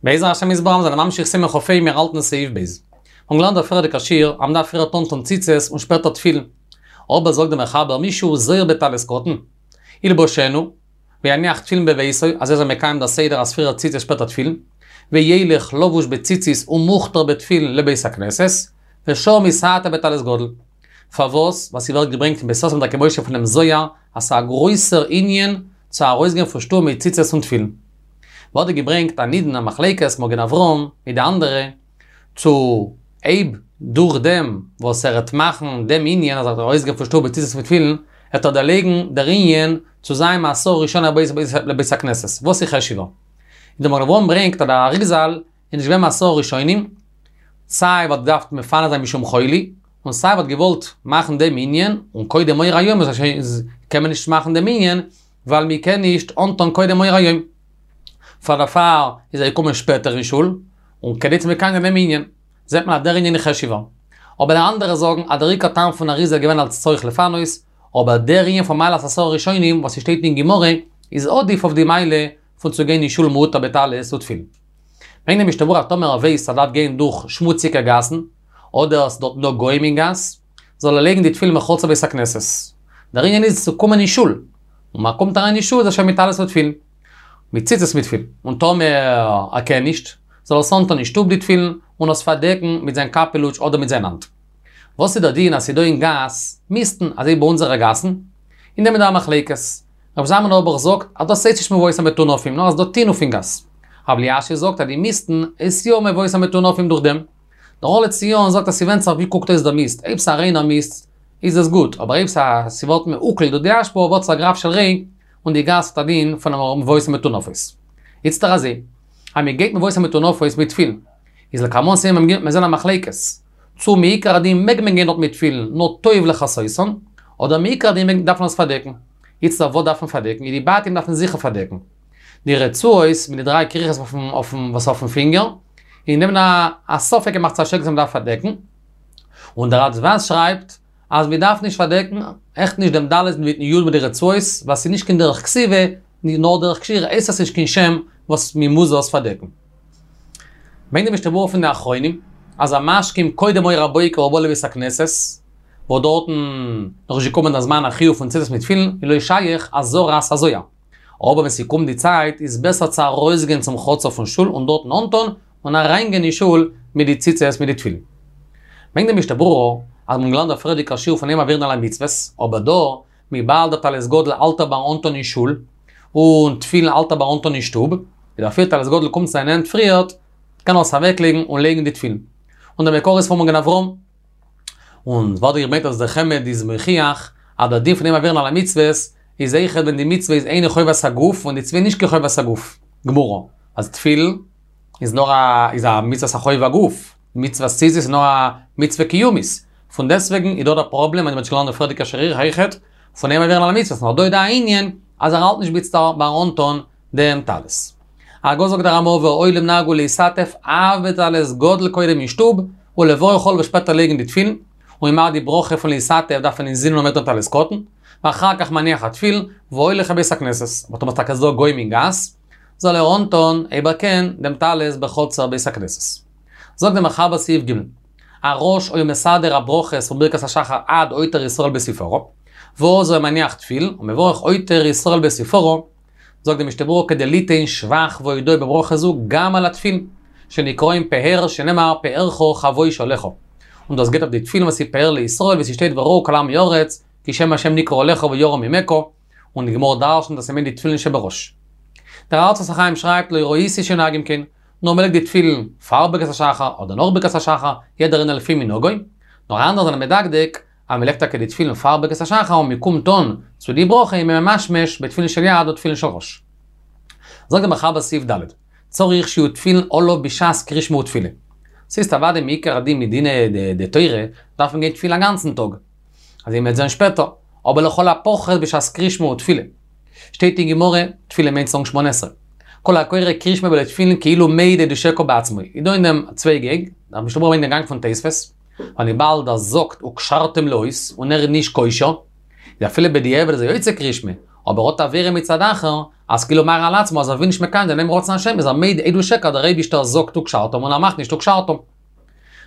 בעזר השם יתברך מיר זענען ממשיך סימן כ"ה מיר האלטן סעיף ב'. מיר האבן געלערנט דער פריערדיגער שיעור אז מ'דארף פריערט אנטון ציצית און שפעטער תפילין. אבער זאגט דער מחבר מי שהוא זהיר בטלית קטן, ילבשנו, ויניח תפילין בביתו, אזוי איז ער מקיים דער סדר אז פריער ציצית שפעטער תפילין, וילך לבוש בציצית ומעוטר בתפילין לבית הכנסת, ושם יתעטף בטלית גדול. פארוואס? ווייל ס'ווערט געברענגט אין בית יוסף דרכי משה פונעם זוהר אז ס'איז א גרויסער ענין צו ארויסגיין פון שטוב מיט ציצית און תפילין. ווערט דא געברענגט א נידון א מחלוקת מגן אברהם מיט די אנדערע, צו אויב דורך דעם וואס ער העט מאכן דעם ענין אז ער וועט ארויסגיין פון שטוב מיט ציצית מיט תפילין, העט ער דערלייגן דער ענין צו זיין מעשרה ראשונים הבאים לבית הכנסת, וואס איז חשוב'ער? און דער מגן אברהם ברענגט אז דער אריזל איז נישט געווען מעשרה ראשונים, סיי ווייל געדארפט מפנה זיין משום חולי, און סיי ווייל געוואלט מאכן דעם ענין, און קודם אור היום איז קען מען נישט מאכן דעם ענין, ווייל מען קען נישט אנטון קודם אור היום. פאר דערפאר איז ער געקומען שפעטער אין שול, און כדי צו מקיים זיין דעם ענין, זעט מען אז דער ענין איז חשוב'ער. אבער די אנדערע זאגן אז דער עיקר טעם פון אריזל איז געווען אלס צורך לפנות, אבער דער ענין פון מעלת עשרה ראשונים וואס ס'שטייט אין גמרא איז עדיף אויף די מעלה פון צו גיין אין שול מעוטר בטלית ותפילין. ברענגט די משנה ברורה אז טאמער ער ווייסט אז ער דארף גיין דורך שמוציגע גאסן, אדער ס'איז דארטן דא גוים אין גאס, זאל ער לייגן די תפילין בחצר בית הכנסת. דער ענין איז צו קומען אין שול, און מען קומט אריין אין שול איז ער שוין מיט טלית ותפילין, מיט ציצית מיט תפילין, און טאמער ער קען נישט, זאל ער עס אנטון אין שטוב די תפילין, און עס פארדעקן מיט זיין קאפעלוטש אדער מיט זיין האנט. וואס איז דער דין אז ס'איז דא אין גאס מיסטן, אזוי ביי אונזערע גאסן? אין דעם איז דא א מחלוקת. רב זלמן אויערבאך זאגט אז דאס הייסט נישט מבואות המטונפים נאר אז ס'דא טינוף אין גאס. רב אלישיב זאגט אז די מיסטן איז יא מבואות המטונפים דורך דעם. דער אור לציון זאגט אז ס'ווענדט זיך ווי קוקט אויס דער מיסט, אויב ס'א ריינער מיסט איז עס גוט, אבער אויב ס'א ס'ווערט מעוקל דורך די אשפה ווערט עס א גרף של רעי און די גאס האט א דין פון מבואות המטונפות. איצטער אזוי, אז מ'גייט מבואות המטונפות מיט תפילין, איז לקמן סימן מ' מיר זעהן א מחלוקת, צו מעיקר הדין מעג מען גיין דארט מיט תפילין נאר טוב לכסותן, אדער מעיקר הדין מעג דארף מען עס פארדעקן. איצטער וואס דארף מען פארדעקן? איז די בתים דארף מען זיכער פארדעקן. די רצועות מיט די דריי כריכות אויפן וואס אויפן פינגער, אין דעם א א ספק אין מחצית השקל צו מ'דארף פארדעקן, און דער רצב"ז שרייבט אז מ'דארף נישט פארדעקן, עכט נישט דעם ד' מיטן י' מיט די רצועות, ווייל ס'איז נישט קיין דרך כתיבה, נאר דרך קשירה, הייסט עס נישט קיין שם וואס מ'מוז עס פארדעקן. ברענגט די משנה ברורה פון די אחרונים, אז המשכים קודם אור הבוקר ובא לבית הכנסת, וואס דארטן נאך נישט געקומען דער זמן החיוב פון ציצית מיט תפילין, איז לא שייך אזהרת הזוהר. אבער ווען ס'קומט די צייט איז בעסער צו ארויסגיין צום חצר פון שול און דארטן אנטון און אריינגיין אין שול מיט די ציצית מיט די תפילין. ברענגט די משנה ברורה אז מ'האט געלערנט דער פריערדיגער שיעור פון אין מעבירין על המצוות, אבער דא, וויבאלד דער טלית גדול האלט ער ביים אנטון אין שול, און תפילין האלט ער ביים אנטון אין שטוב, איז אפילו טלית גדול קומט צו זיין הענט פריערט, קען ער עס אוועקלייגן און לייגן די תפילין. און דער מקור איז פון מגן אברהם. און ווערט געברענגט אז דער חמד איז מוכיח אז דער דין פון אין מעבירין על המצוות איז אויכעט ווען די מצוה איז אינה חובת הגוף און די מצוה איז נישט קיין חובת הגוף גמורה, אז תפילין איז נאר א איז א מצוות החוב הגוף, מצוות ציצית איז נאר א מצוה קיומית, פון דעסטוועגן איז דא דער פראבלעם אז מ'האט שוין געלערנט די פריערדיגע שיעור אויכעט פון אין מעבירין על המצוות נאר דא איז דא א ענין אז ער האלט נישט איצטער ביים אנטון דעם טלית. הגה זאגט דער רמ"א והעולם נהגו להתעטף אף בטלית גדול קודם אין שטוב, ולברך עליו שפעטער לייגן די תפילין, און מ'מאכט די ברכה פון להתעטף דארף מען אינזינען האבן דעם טלית קטן, ואחר כך מניח התפילין, והולך לבית הכנסת, אבער טאמער טאקע איז דא גוים אין גאס, זאל ער אנטון, אויב ער קען, דעם טלית בחצר בית הכנסת. זאגט דער מחבר סעיף ג', הראש היה מסדר הברכות פון ברכת השחר עד עוטר ישראל בתפארה, ואז היה מניח תפילין, ומברך עוטר ישראל בתפארה, זאגט די משנה ברורה כדי ליתן שבח והודאה בברכה זו גם על התפילין, שנקראים פאר שנאמר פארך חבוש עליך. און דאס גייט אויף די תפילין וואס איז פאר לישראל ווי ס'שטייט וראו כל עמי הארץ כי שם השם נקרא עליך ויראו ממך, און די גמרא דרש'נט אז ס'מיינט די תפילין שבראש. דער ארצות החיים שרייבט לא ראיתי שנוהגים כן, נאר מ'לייגט די תפילין פאר ברכת השחר אדער נאך ברכת השחר, יעדער איינער לפי מנהגו, נאר אנדערע זענען מדקדק אז מ'לייגט טאקע די תפילין פאר ברכת השחר און מ'קומט אן צו די ברכה איז מען ממשמש בתפילין של יד או תפילין של ראש. זאגט דער מחבר סעיף ד', צריך שיהיו תפילין עליו בשעת קריאת שמע ותפילה. ס'איז אוודאי מעיקר הדין מדינא דתורה דארף מען גיין תפילין א גאנצן טאג. אזוי מ'וועט זען שפעטער. אבער לכל הפחות בשעת קריאת שמע ותפילה. שטייט אין גמרא, תפילה מיינט צו זאגן שמונה עשרה. כל הקורא קריאת שמע בלא תפילין כאילו מעיד עדות שקר בעצמו. איז דא אין דעם צוויי גענג, דער משנה ברורה ברענגט דעם גאנג פון תוספות. ווייל וויבאלד ער זאגט וקשרתם לאות און ער איז נישט קושר, איז אפילו בדיעבד איז ער יוצא קריאת שמע, אבער האט עבירה מצד אחר, אז כאילו מערער על עצמו אז ער וויל נישט מקיים זיין דעם רצון השם איז ער מעיד עדות שקר דער אייבישטער זאגט וקשרתם און ער מאכט נישט וקשרתם.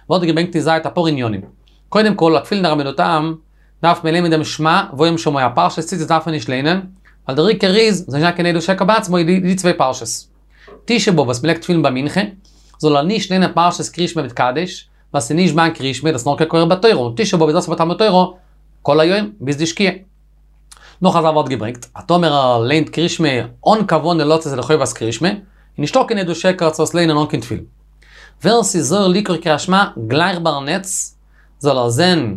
ווערט געברענגט אין זייט אפאר עניינים. קודם כל, א תפילין דרבינו תם דארף מען ליינען דעם שמע והיה אם שמוע, פרשת ציצית דארף מען נישט ליינען, ווייל דער עיקר איז, זאל נישט זיין קיין עדות שקר בעצמו, די צוויי פרשות. תשעה באב וואס מ'לייגט תפילין ביי מנחה, זאל ער נישט ליינען פרשת קריאת שמע מיט קדיש, ווייל ס'איז נישט זמן קריאת שמע, דאס איז נאר כקורא בתורה, און תשעה באב איז אסור בתלמוד תורה כל היום ביז די שקיעה. נאך א זאך ווערט געברענגט, אז טאמער ער ליינט קריאת שמע אן כוונה לצאת ידי חובת קריאת שמע, איז נישטא קיין עדות שקר צו עס ליינען אן קיין תפילין. ווער ס'איז זהיר לקרוא קריאת שמע גלייך ביי נץ, זאל ער זען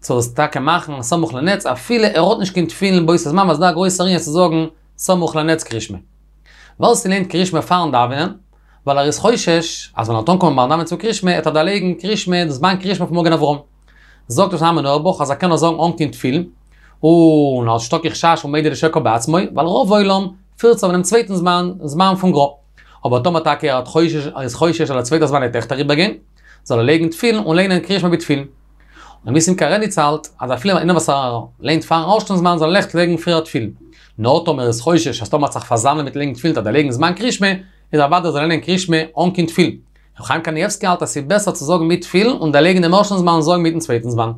צו עס טאקע מאכן סמוך לנץ, אפילו ער האט נישט קיין תפילין באותו זמן, ווייל ס'איז דא א גרויסער ענין צו זאגן סמוך לנץ קריאת שמע. ווער ס'ליינט קריאת שמע פארן דאווענען, ווייל ער איז חושש אז ווען ער וועט אנקומען ביים דאווענען צו קריאת שמע וועט ער דערלייגן קריאת שמע די זמן קריאת שמע פון מגן אברהם. זאגט ר' שלמה זלמן אויערבאך אז ער קען עס זאגן אן קיין תפילין, און ס'איז נישטא קיין חשש פון מודה לשקר בעצמו, ווייל רוב עולם פירט זיך אויף דעם צווייטן זמן, זמן פון גר"א. אבער טאמער טאקע ער האט חושש, ער איז חושש אז דער צווייטער זמן וועט עכט אריבערגיין, זאל ער לייגן תפילין און ליינען קריאת שמע בתפילין. און ניסים קרליץ האלט אז אפילו איינער וואס ער ליינט פארן ערשטן זמן זאל ער אויכעט לייגן פריער תפילין. נאר טאמער ער איז חושש אז טאמער ער וועט זיך פארזאמלען מיט לייגן תפילין וועט ער דערלייגן זמן קריאת שמע, איז אוודאי זאל ער ליינען קריאת שמע אן קיין תפילין. ר' חיים קנייבסקי האלט אז ס'איז בעסער צו זאגן מיט תפילין און דערלייגן דעם ערשטן זמן און זאגן מיטן צווייטן זמן.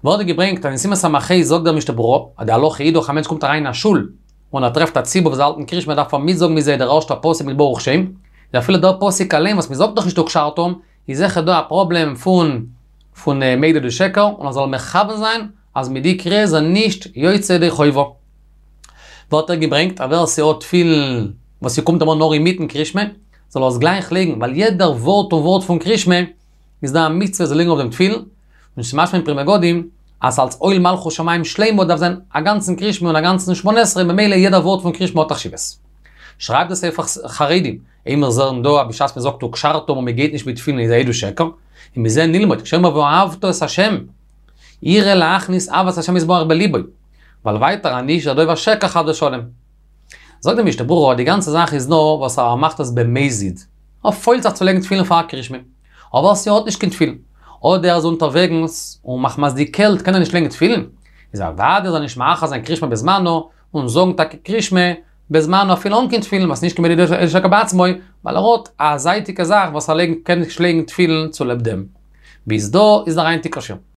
ווערט געברענגט אז אין סימן ס"ה זאגט דער משנה ברורה אז די הלכה איז דאך א מענטש קומט אריין אין א שול און ער טרעפט א ציבור וואס האלטן קריאת שמע דארף ער מיטזאגן מיט זיי דער ערשטער פסוק מיט ברוך שם, איז אפילו דער פסוק אליין וואס מ'זאגט דאך נישט וקשרתם איז זיכער דא א פראבלעם פון פון מודה לשקר און ער זאל מכוון זיין אז מיט די קריאה איז ער נישט יוצא ידי חובה. ווערט ער געברענגט אז ווער ס'האט תפילין וואס ס'קומט אים אן נאר אינמיטן קריאת שמע זאל ער עס גלייך לייגן ווייל יעדער ווארט און ווארט פון קריאת שמע איז דא א מצוה זאל לייגן אויף דעם תפילין, און ס'איז משמע אין פרי מגדים אז אלס עול מלכות שמים שלימה דארף זיין א גאנצן קריאת שמע און א גאנצן שמונה עשרה ממילא יעדער ווארט פון קריאת שמע האט א חשיבות. שרייבט דער ספר חרדים, אויב מיר זעען דא אז בשעת מ'זאגט וקשרתם און מ'גייט נישט מיט תפילין איז א עדות שקר, ומזה נלמד, כשאומר ואהבת את השם, יראה להכניס אהבת השם יתברך בליבו, ווייל ווייטער אנישט איז ער דובר שקר חס ושלום. זאגט די משנה ברורה אז די גאנצע זאך איז נאר וואס ער מאכט עס במזיד, ער פוילט זיך צו לייגן תפילין פאר קריאת שמע, אבער ס'האט נישט קיין תפילין, אדער ער איז אונטערוועגנס און מחמת די קעלט קען ער נישט לייגן תפילין, איז אוודאי זאל ער נישט מאחר זיין קריאת שמע בזמנו, און זאגן טאקע קריאת שמע בזמנו אפילו אן קיין תפילין וואס נישט קיין מודה לשקר בעצמו, ווייל ער האט א זייטיגע זאך וואס ער לייגן קען נישט לייגן תפילין צוליב דעם. ביז דא איז דער היינטיגער שיעור.